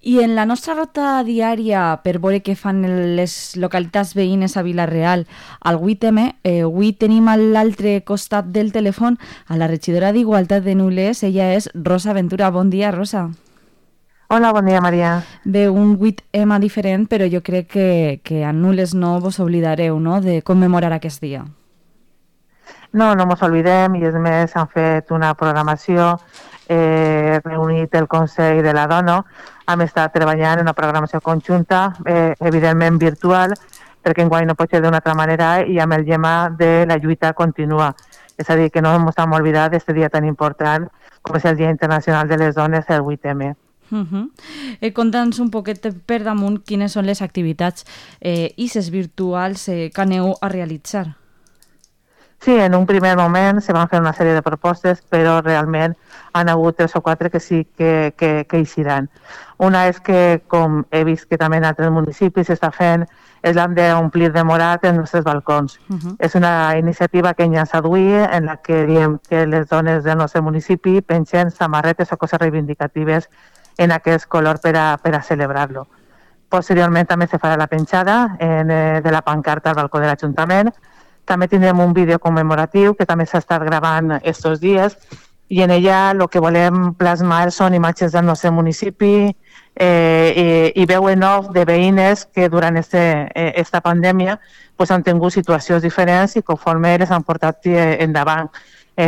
I en la nostra rota diària per veure què fan les localitats veïnes a Vila-real al 8M, avui tenim a l'altre costat del telèfon a la regidora d'Igualtat de Nules. Ella és Rosa Ventura. Bon dia, Rosa. Hola, bon dia, Maria. Bé, un 8M diferent, però jo crec que a Nules no vos oblidareu, no?, de commemorar aquest dia. No mos oblidem, i és més, han fet una programació, reunit el Consell de la Dona, hem estat treballant en una programació conjunta, evidentment virtual, perquè enguany no pot ser d'una altra manera, i amb el lema de la lluita continua. És a dir, que no ens hem oblidat d'aquest dia tan important com és el Dia Internacional de les Dones, el 8M. Conta'ns un poquet per damunt quines són les activitats i les virtuals que aneu a realitzar. Sí, en un primer moment se van fer una sèrie de propostes, però realment han hagut 3 o 4 que sí que eixiran. Una és que, com he vist que també en altres municipis s'està fent, és l'hem d'omplir de morat els nostres balcons. És una iniciativa que ens ha duit, en la que diem que les dones del nostre municipi pengen samarretes o coses reivindicatives en aquest color per a celebrar-lo. Posteriorment també se farà la penjada de la pancarta al balcó de l'Ajuntament. També tindrem un vídeo commemoratiu que també s'ha estat gravant estos dies, i en ella el que volem plasmar són imatges del nostre municipi i veu en off de veïnes que durant esta pandèmia han tingut situacions diferents i conforme les han portat endavant.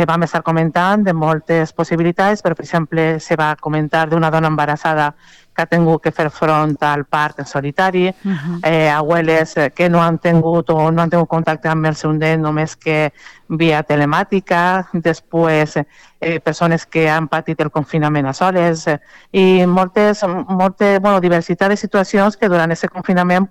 Vam estar comentant de moltes possibilitats, però per exemple se va comentar d'una dona embarassada que ha tingut que fer front al part en solitari, abueles que no han tingut contacte amb el seu nen només que via telemàtica, després persones que han patit el confinament a soles, i molta diversitat de situacions que durant aquest confinament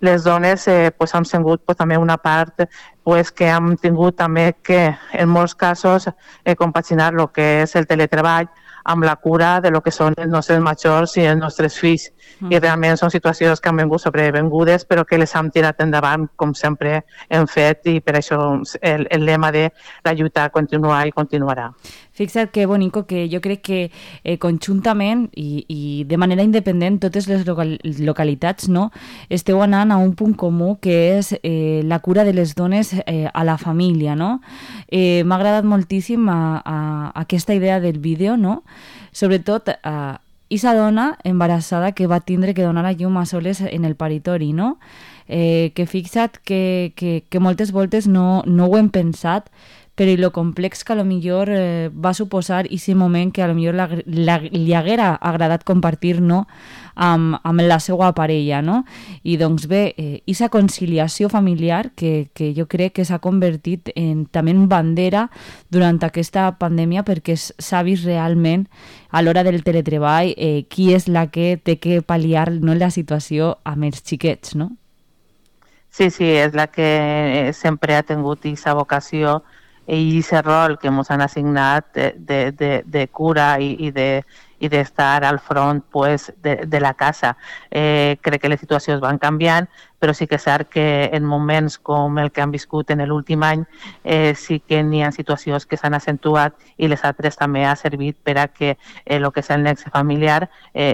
les dones han sigut també una part que hem tingut també que en molts casos compaginar el que és el teletreball amb la cura de lo que són els nostres majors i els nostres fills. I realment són situacions que han vingut sobrevingudes, però que les hem tirat endavant, com sempre hem fet, i per això el lema de la lluita continua i continuarà. Fixa't que bonico, que jo crec que conjuntament i de manera independent totes les localitats, no, esteu anant a un punt comú, que és la cura de les dones a la família, no? M'ha agradat moltíssim aquesta idea del vídeo, no? Sobretot esa dona embarassada que va tindre que donar a llum a soles en el paritori, no? Que fixa't que moltes voltes no ho hem pensat, però lo complex que a lo millor va suposar aquest moment que a lo millor li haguera agradat compartir, no, amb la seva parella, no? I doncs bé, aquesta conciliació familiar que jo crec que s'ha convertit també en bandera durant aquesta pandèmia, perquè s'ha vist realment a l'hora del teletreball qui és la que té que pal·liar, no, la situació amb els xiquets, no? Sí, és la que sempre ha tingut aquesta vocació i aquest rol que ens han assignat de cura i d'estar al front de la casa. Crec que les situacions van canviant, però sí que és cert que en moments com el que han viscut en l'últim any sí que n'hi ha situacions que s'han accentuat, i les altres també ha servit per a que el que és el nexe familiar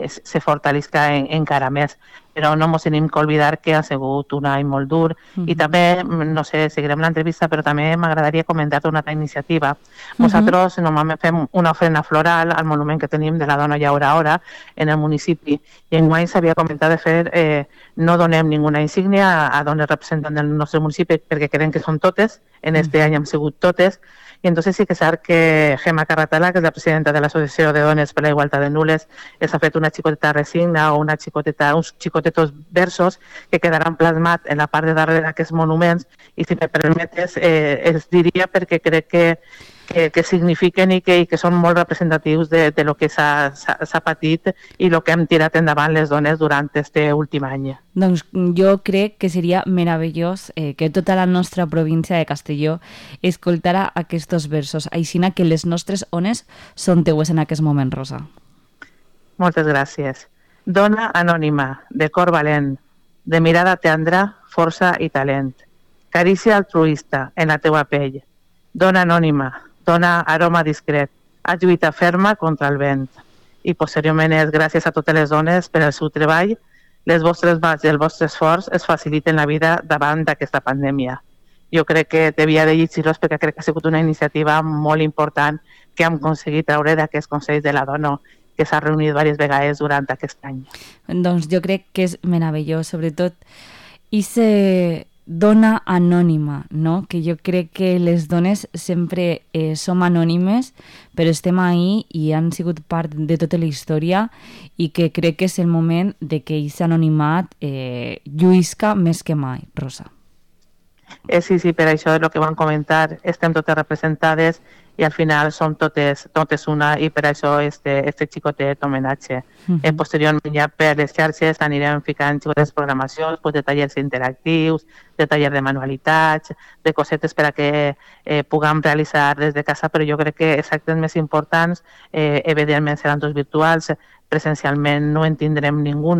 se fortalisca encara més. Però no ens hem d'oblidar que ha sigut un any molt dur. I també, no sé, seguirem l'entrevista, però també m'agradaria comentar una altra iniciativa. Nosaltres normalment fem una ofrena floral al monument que tenim de la dona Llaura Hora en el municipi, i enguany s'havia comentat de fer, no donem ninguna insígnia a dones representants del nostre municipi, perquè creiem que són totes, en este any hem sigut totes. Y entonces sí que és cert que Gemma Carratala, que és la presidenta de l'Associació de Dones per la Igualtat de Nules, ha fet una xicoteta resigna o uns xicotetos versos que quedaran plasmats en la part de darrere d'aquests monuments, i si me permetes els diria perquè crec que signifiquen i que són molt representatius de lo que s'ha patit i el que hem tirat endavant les dones durant aquest últim any. Doncs jo crec que seria meravellós que tota la nostra província de Castelló escoltara aquests versos, aixina que les nostres ones són teues en aquest moment, Rosa. Moltes gràcies. Dona anònima, de cor valent, de mirada tendra, força i talent. Carícia altruista en la teua pell. Dona anònima, dona aroma discret, has lluita ferma contra el vent. i posteriorment és gràcies a totes les dones per al seu treball, les vostres mans i el vostre esforç es faciliten la vida davant d'aquesta pandèmia. Jo crec que devia de llegir-los perquè crec que ha sigut una iniciativa molt important que hem aconseguit treure d'aquest Consell de la Dona que s'ha reunit diverses vegades durant aquest any. Doncs jo crec que és meravellós, sobretot i se dona anònima, no? Que jo crec que les dones sempre som anònimes, però estem ahí i han sigut part de tota la història i que crec que és el moment de que aquest anonimat lluïsca més que mai, Rosa. Sí, per això és el que vam comentar, estem totes representades i al final som totes una i per això este xicotet homenatge. Posteriorment ja per les xarxes anirem ficant xicotes programacions de tallers interactius, de tallers de manualitats, de cosetes per a que puguem realitzar des de casa, però jo crec que els actes més importants evidentment seran tots virtuals, presencialment no en tindrem ningú,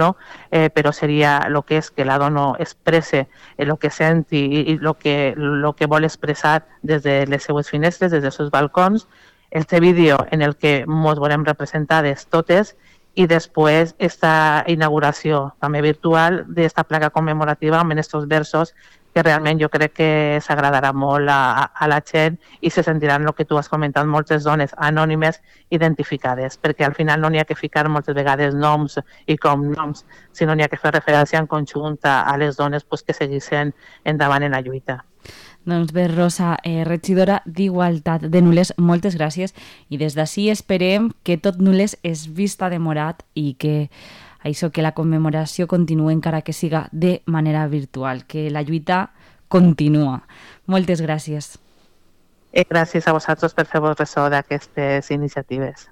però seria el que és que la dona expresse el que sent i el que vol expressar des de les seues finestres, des dels seus balcons, este vídeo en el que ens veurem representades totes i després esta inauguració també virtual d'esta placa commemorativa amb aquests versos que realment jo crec que s'agradarà molt a la gent i se sentiran el que tu has comentat, moltes dones anònimes identificades, perquè al final no n'hi ha que ficar moltes vegades noms i cognoms, sinó n'hi ha que fer referència en conjunt a les dones que seguissin endavant en la lluita. Doncs bé, Rosa, regidora d'Igualtat de Nules, moltes gràcies i des d'ací esperem que tot Nules es vista de morat i que això, que la commemoració continua encara que siga de manera virtual, que la lluita continua. Moltes gràcies. Gràcies a vosaltres per fer-vos ressò d'aquestes iniciatives.